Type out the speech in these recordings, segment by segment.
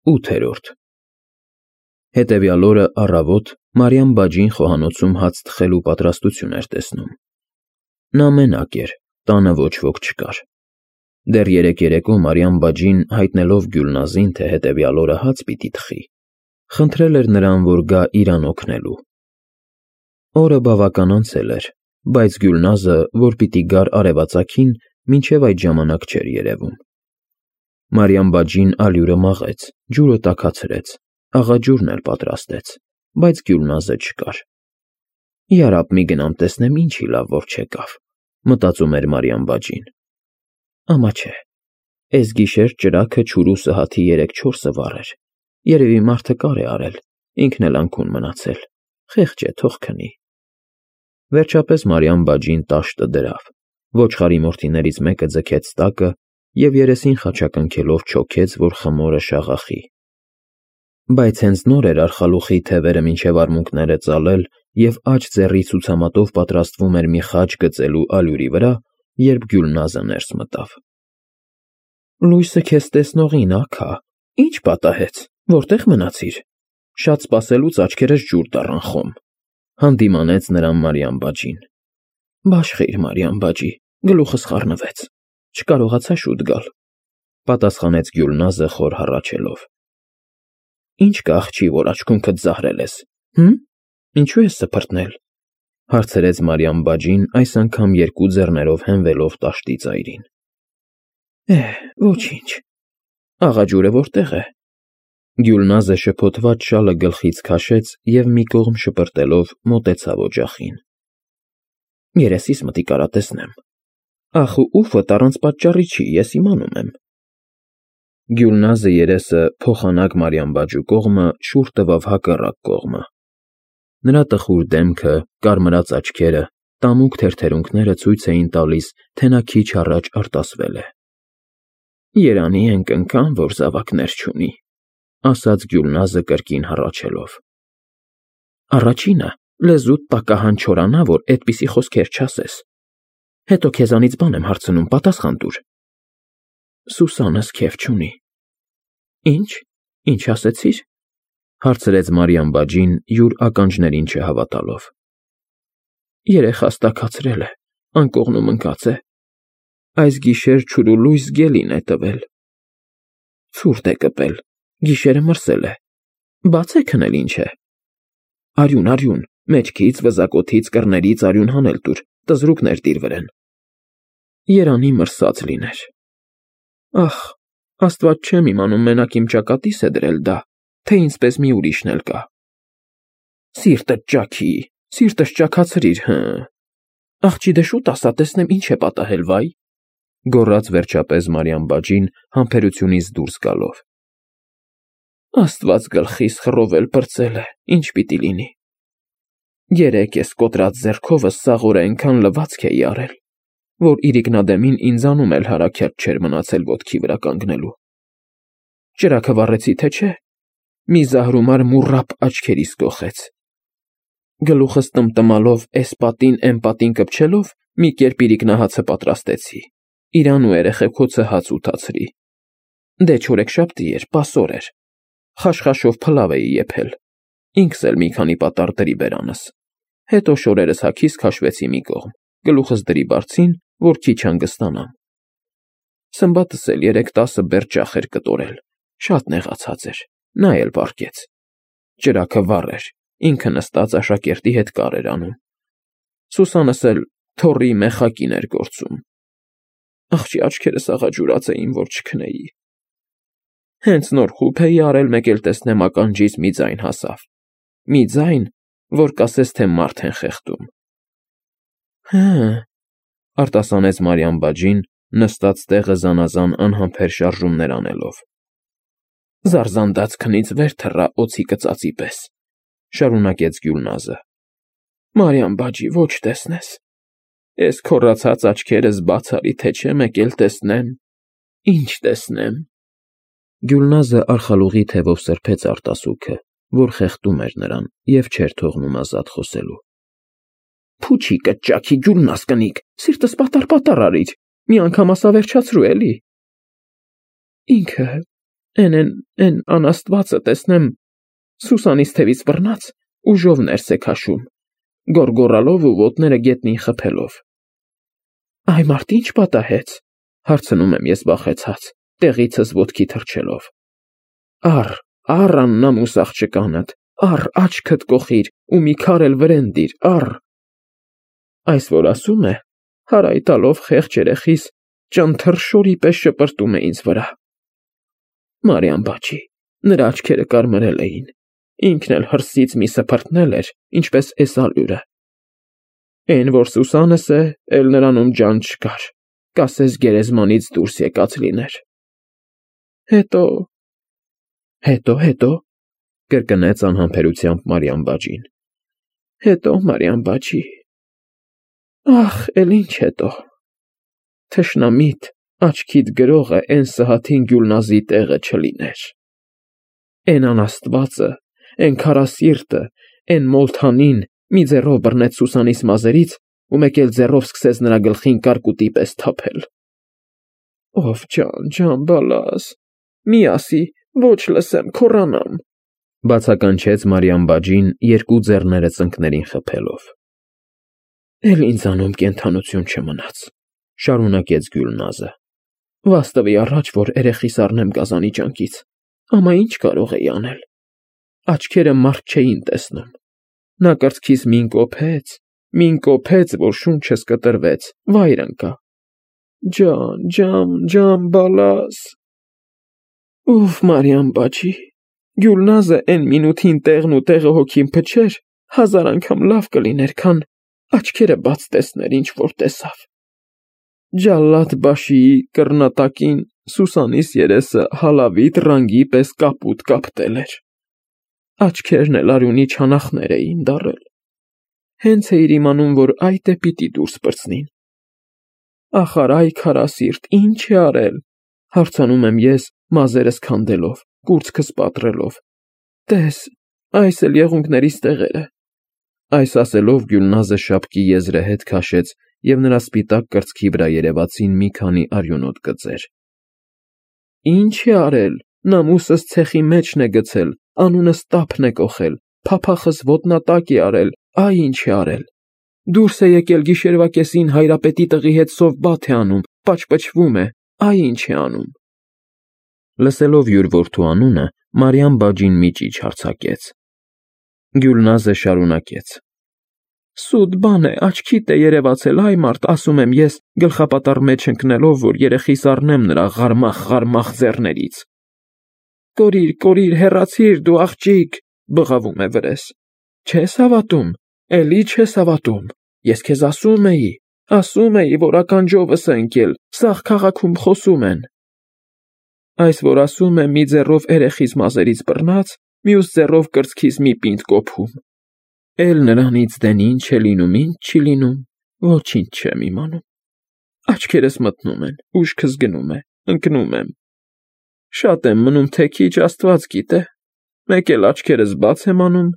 8-րդ Հետևյալ օրը առավոտ Մարիամ բաջին խոհանոցում հաց թխելու պատրաստություն էր տեսնում։ Նա մենակ էր, տանը ոչ ոք չկար։ Դեռ երեկո Մարիամ բաջին, հայտնելով Գյուլնազին, թե հետևյալ օրը հաց պիտի թխի, խնդրել էր նրան, որ գա իրան օգնելու։ Օրը բավական անցել էր, բայց Գյուլնազը, որ պիտի գար արևածագին, մինչև այդ ժամանակ չէր երևում։ Մարիամ բաջին ալյուրը մաղեց, ջուրը տաքացրեց, աղաջուրն էլ պատրաստեց, բայց Գյուլնազը չկար։ Յարապ մի գնամ տեսնեմ ինչի լավ որ չեկավ, մտածում էր Մարիամ բաջին։ Ամա չէ, էս գիշեր ճրագը չուրու սհաթի 3-4-ը վառեր, երևի մարդը կար է արել, ինքն էլ անքուն մնացել, խեղճ է, թող քնի։ Վերջապես Մարիամ բաջին տաշտը դրավ, ոչխարի մորթիներից մեկը ձգեց տակը և երեսին խաչակնքելով չոքեց, որ խմորը շաղախի։ Բայց հենց նոր էր արխալուխի թևերը մինչև արմունկները ծալել և աջ ձեռի ցուցամատով պատրաստվում էր մի խաչ գծելու ալյուրի վրա, երբ Գյուլնազը ներս մտավ։ Լույսը քեզ տեսնողին, աքա, ինչ պատահեց, որտեղ մնացիր։ Շատ սպասելուց աչքերս ջուր դառան խոմ, հանդիմանեց նրան Մարիամ բաջին։ Բաշխիր, Մարիամ բաջի, գլուխս խառնվեց, չկարողացա շուտ գալ, պատասխանեց Գյուլնազը խոր հառաչելով։ Ինչ կա աղջի, որ աչքունքդ զահրել ես, ինչու ես սփռտնել, հարցրեց Մարիամ բաջին, այս անգամ երկու ձեռներով հենվելով տաշտի ծայրին։ Ոչինչ, աղաջուրը որտեղ է։ Գյուլնազը շփոթված շալը գլխից քաշեց և մի կողմ շպրտելով մոտեցավ օջախին։ Երեսիս մտի կարա տեսնեմ։ Ախ ու ուֆդ առանց պատճառի չի, ես իմանում եմ։ Գյուլնազը երեսը փոխանակ Մարիամ բաջու կողմը շուռ տվավ հակառակ կողմը։ Նրա տխուր դեմքը, կարմրած աչքերը, տամուկ թերթերունքները ցույց էին տալիս, թե նա քիչ առաջ արտասվել է։ Երանի ընկան, որ զավակներ չունի, ասաց Գյուլնազը կրկին հառաչելով։ Առաջինը լեզուդ տակահան չորանա, որ այդպիսի խոսքեր չասես։ Հետո քեզանից բան եմ հարցնում, պատասխան տուր։ Սուսանս քեֆ չունի։ Ինչ ասեցիր, հարցրեց Մարիամ բաջին, յուր ականջներին չհավատալով։ Երեխաս տաքացրել է, անկողնում ընկած է։ Այս գիշեր չուրու լույս գելին է տվել։ Ցուրտ է կպել, գիշերը մրսել է, բաց է քնել ինչ է։ Արյուն, մեջքից, վզակոթից, կռներից արյուն հանել տուր, տզրուկներ տիրվրեն։ Երանի մրսած լիներ։ Ախ, Աստված չեմ իմանում մենակ իմ ճակատիս է դրել դա, թե ինձպես մի ուրիշն էլ կա։ Սիրտդ ճաքի, սիրտս ճաքացրիր, Աղջի դե շուտ ասա, տեսնեմ ինչ է պատահել, վայ, գոռաց վերջապես Մարիամ բաջին համբերությունից դուրս գալով։ Աստված գլխիս խռովել պրծել է, ինչ պիտի լինի։ Երեկ ես կոտրած ձեռքովս սաղորը այնքան լվացք էի արել, որ իրիկնադեմին ինձանում էլ հարաքյաց չէր մնացել ոտքի վրա կանգնելու։ Ճրագը վառեցի, թե չէ, մի զահրումար մուռապ աչքերիս կոխեց։ Գլուխս տմտմալով էս պատին էն պատին կպչելով, մի կերպ իրիկնահացը պատրաստեցի, իրան ու երեխեքոցը հաց ուտացրի։ Դե չորեքշաբթի էր, պասոր էր, խաշխաշով փլավ էի եփել, ինքս էլ մի քանի պատառ դրի բերանս, հետո շորերս հագիս քաշվեցի մի կողմ, գլուխս դրի բարձին, որ քիչ հանգստանամ։ Սմբատս էլ 3-10 բերդ ճախ էր կտորել, շատ նեղացած էր, նա էլ պառկեց։ Ճրագը վառ էր, ինքը նստած աշակերտի հետ կար էր անում։ Սուսանս էլ թոռի մեխակին էր գործում։ Աղջի աչքերս աղաջուրած էին, որ չքնեի։ Հենց նոր խուփ էի արել, մեկ էլ տեսնեմ ականջիս մի ձայն հասավ։ Մի ձայն, որ կասես, թե մարդ են խեղդում։ Արտասանեց Մարիամ բաջին, նստած տեղը զանազան անհամբեր շարժումներ անելով։ Զարզանդած քնից վեր թռա օձի կծածի պես, շարունակեց Գյուլնազը։ Մարիամ բաջի, ոչ տեսնես։ Էս քոռացած աչքերս բաց արի, թե չէ մեկ էլ տեսնեմ։ Ինչ տեսնեմ։ Գյուլնազը արխալուղի թևով սրբեց արտասուքը, որ խեղդում էր նրան և չէր թողնում ազատ խոսելու։ Փուչի կճաքի Գյուլնազ կնիկ, սիրտս պատառ արիր, մի անգամ ասա վերջացրու էլի։ Ինքը Էն անաստվածը տեսնեմ Սուսանից թևից բռնած ուժով ներս է քաշում, գոռգոռալով ու ոտները գետնին խփելով։ Այ մարդ ինչ պատահեց, հարցնում եմ ես վախեցած, տեղիցս ոտքի թռչելով։ Առ աննամուս աղջկանդ, առ աչքդ կոխիր ու մի քար էլ վրեն դիր, առ։ Այս որ ասում է, հարայ տալով խեղճ երեխիս ճանթռշորի պես շպրտում է ինձ վրա։ Մարիամ բաճի, նրա աչքերը կարմրել էին, ինքն էլ հրսից մի սփռտնել էր, ինչպես էսալյուրը։ Էն որ Սուսանս է, էլ նրանում ջան չկար, կասես գերեզմանից դուրս եկած լիներ։ Հետո, կրկնեց անհամբերությամբ Մարիամ բաճին։ Հետո, Մարիամ բաճի։ Ախ, էլ ինչ հետո։ Թշնամիտ, աչքիդ գրողը էն Սհաթին Գյուլնազի տեղը չլիներ։ Էն անաստվածը, էն քարասիրտը, էն մոլթանին մի ձեռով բռնեց Սուսանիս մազերից ու մեկ էլ ձեռով սկսեց նրա գլխին կարկուտի պես թափել։ Ով ջան բալաս, մի ասի, ոչ լսեմ, քոռանամ, բացականչեց Մարիամ բաճին երկու ձեռները ծնկներին խփելով։ Էլ ինձանում կենդանություն չմնաց, շարունակեց Գյուլնազը։ Վաստվի առաջ, որ երեխիս առնեմ գազանի ճանկից, ամա ինչ կարող էի անել։ Աչքերը մարդ չէին տեսնում։ Նա կրծքիս մին կոփեց, որ շունչս կտրվեց, վայր ընկա։ Ջան, բալաս։ Ուֆ, Մարիամ բաճի, Գյուլնազը էն մինութին տեղն ու տեղը հոգին փչեր, 1000 անգամ լավ կլիներ, քան աչքերը բաց տեսներ, ինչ որ տեսավ։ Ջալլադ բաշիի կռնատակին Սուսանիս երեսը հալավիտ ռանգի պես կապուտ կապտել էր։ Աչքերն էլ արյունի չանախներ էին դառել։ Հենց էիր իմանում, որ այդ է պիտի դուրս պրծնին։ Ախար այ քարասիրտ, ինչ է արել, հարցանում եմ ես, մազերս քանդելով, կուրծքս պատռելով։ Տես, այս էլ եղունգներիս տեղերը։ Այս ասելով Գյուլնազը շապկի եզրը հետ քաշեց և նրա սպիտակ կրծքի վրա երևացին մի քանի արյունոտ գծեր։ Ինչ է արել, նամուսս ցեխի մեջն է գցել, անունս տափն է կոխել, փափախս ոտնատակ է արել, այ ինչ է արել։ Դուրս է եկել գիշերվա կեսին հայրապետի տղի հետ սովբաթ է անում, պաճպճվում է, այ ինչ է անում։ Լսելով յուր որդու անունը, Մարիամ բաճին մի ճիչ հարձակեց։ Գյուլնազը շարունակեց. Սուտ բան է, աչքիդ է երևացել, այ մարդ, ասում եմ ես, գլխապատառ մեջ ընկնելով, որ երեխիս առնեմ նրա ղարմախ ձեռներից։ Կորիր, հեռացիր դու աղջիկ, բղավում է վրես։ Չես հավատում, էլի չես հավատում, ես քեզ ասում էի, որ ականջովս է ընկել, սաղ քաղաքում խոսում են։ Այս որ ասում է, մի ձեռով երեխիս մազերից բռնած, մյուս ձեռով կրծքիս մի պինդ կոփում։ Էլ նրանից դեն ինչ է լինում, ինչ չի լինում, ոչինչ չեմ իմանում։ Աչքերս մտնում են, ուշքս գնում է, ընկնում եմ։ Շատ եմ մնում, թե քիչ Աստված գիտե։ Մեկ էլ աչքերս բաց եմ անում,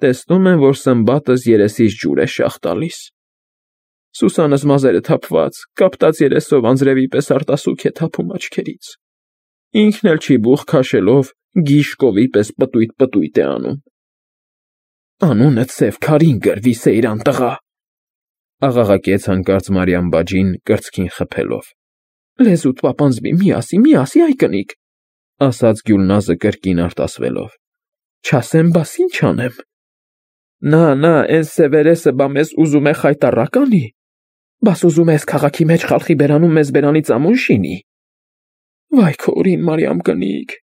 տեսնում եմ, որ սմբատս երեսից ջուր է շաղ տալիս։ Սուսանս մազերը թափված, կապտած երեսով անձրևի պես արտասուք է թափում աչքերից։ Ինքն էլ չի բուխ քաշելով, գիշկովի պես պտույտ է անում։ Անունը ծև քարին գրվի, Սեյրան տղա, աղաղակեց հանկարծ Մարիամ բաճին կրծքին խփելով։ Լեզուդ պապանձվի, մի ասի, այ կնիկ, ասաց Գյուլնազը կրկին արտասվելով։ Չասեմ, բաս ինչ անեմ։ Նա, էն սևերեսը բա մեզ ուզում է խայտառակ անի։ Բաս ուզում ես քաղաքի մեջ խալխի բերանում մեզ բերանից ամուն շինի։ Վայ քո օրին, Մարիամ կնիկ։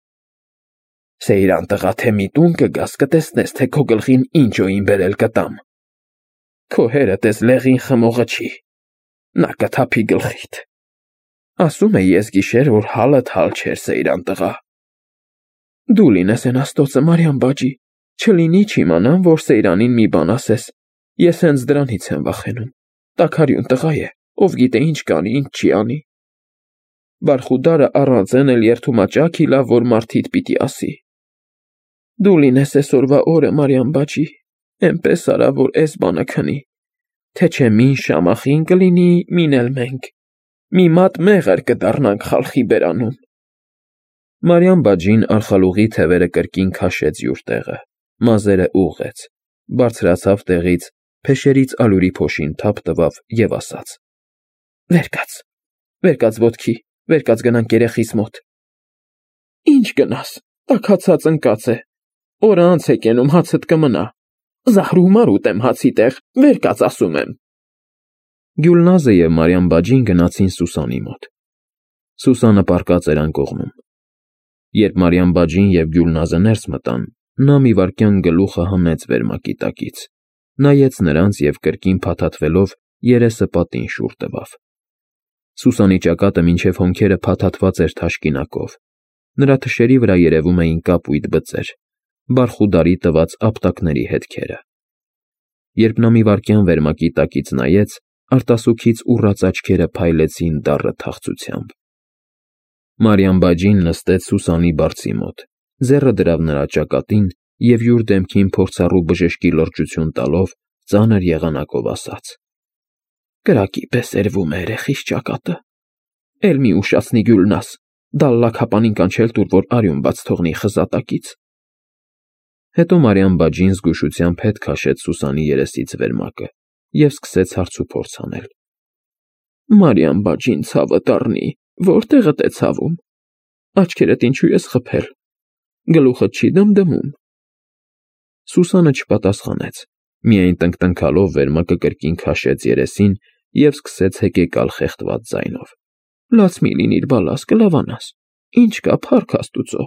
Սեյրան տղա, թե մի տուն կգաս, կտեսնես, թե քո գլխին ինչ օին բերել կտամ։ Քո հերդ էս լեղին խմողը չի, նա կթափի գլխիդ։ Ասում է ես գիշեր, որ հալդ հալ չէր, Սեյրան տղա։ Դու լինես էն աստոցը, Մարիամ բաճի, չլինի չիմանամ, որ Սեյրանին մի բան ասես, ես հենց դրանից եմ վախենում, տաքարյուն տղա է, ով գիտե ինչ կանի, ինչ չի անի։ Բարխուդարը առանձեն էլ երդումաճաք իլավ, որ մարդիդ պիտի ասի։ Դու լինես էսօրվա օրը, Մարիամ բաճի, էնպես արա, որ էս բանը քնի, թե չէ մին շամախին կլինի, մին էլ մենք, մի մատ մեղր կդառնանք խալխի բերանում։ Մարիամ բաջին արխալուղի թևերը կրկին քաշեց յուր տեղը, մազերը ուղղեց, բարձրացավ տեղից, փեշերից ալյուրի փոշին թափ տվավ և ասաց. Վեր կաց ոտքի, վեր կաց գնանք երեխիս մոտ։ Ինչ գնաս, տաքացած ընկած է, օրը անց է կենում, հացդ կմնա, զահրու մար ուտեմ հացի տեղ, վեր կաց ասում եմ։ Գյուլնազը և Մարիամ բաջին գնացին Սուսանի մոտ։ Սուսանը պառկած էր անկողնում։ Երբ Մարիամ բաջին և Գյուլնազը ներս մտան, նա մի վայրկյան գլուխը հնեց վերմակի տակից, նայեց նրանց և կրկին փաթաթվելով երեսը պատին շուռ տվավ։ Սուսանի ճակատը մինչև հոնքերը փաթաթված էր թաշկինակով, նրա թշերի վրա երևում էին կապույտ բծեր, բարխուդարի տված ապտակների հետքերը։ Երբ նա մի վայրկյան վերմակի տակից նայեց, արտասուքից ուռած աչքերը փայլեցին դառը թախծությամբ։ Մարիամ բաջին նստեց Սուսանի բարձի մոտ, ձեռը դրավ նրա ճակատին և յուր դեմքին փորձառու բժշկի լրջություն տալով ծանր եղանակով ասաց. Կրակի պես էրվում է երեխիս ճակատը, էլ մի ուշացնի Գյուլնազ, դալլակ հապանին կանչել տուր, որ արյուն բաց թողնի խզատակից։ Հետո Մարիամ բաջին զգուշությամբ հետ քաշեց Սուսանի երեսից վերմակը և սկսեց հարցուփորձ անել. Մարիամ բաջին ցավը դառնի, որտեղդ է ցավում, աչքերդ ինչու ես խփել, գլուխդ չի դմդմում։ Սուսանը չպատասխանեց, միայն տնկտնքալով վերմակը կրկին քաշեց երեսին և սկսեց հեկեկալ խեղդված ձայնով. Լաց մի լինիր, բալաս, կլավանաս, ինչ կա, փառք Աստուծո,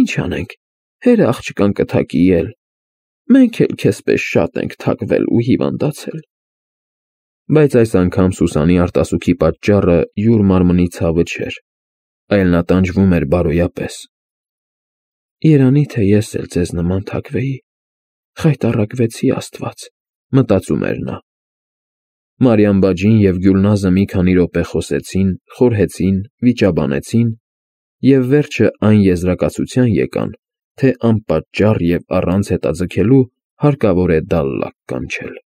ինչ անենք, հերը աղջկան կթակի էլ, մենք էլ քեզ պես շատ ենք թակվել ու հիվանդացել։ Բայց այս անգամ Սուսանի արտասուքի պատճառը յուր մարմնի ցավը չէր, այլ նա տանջվում էր բարոյապես։ Երանի թե ես էլ ձեզ նման թակվեի, խայտառակվեցի Աստված, մտածում էր նա։ Մարիամ բաջին և Գյուլնազը մի քանի րոպե խոսեցին, խորհեցին, վիճաբանեցին և վերջը այն եզրակացության եկան, թե անպատճառ և առանց հետաձգելու հարկավոր է դալլակ կանչել։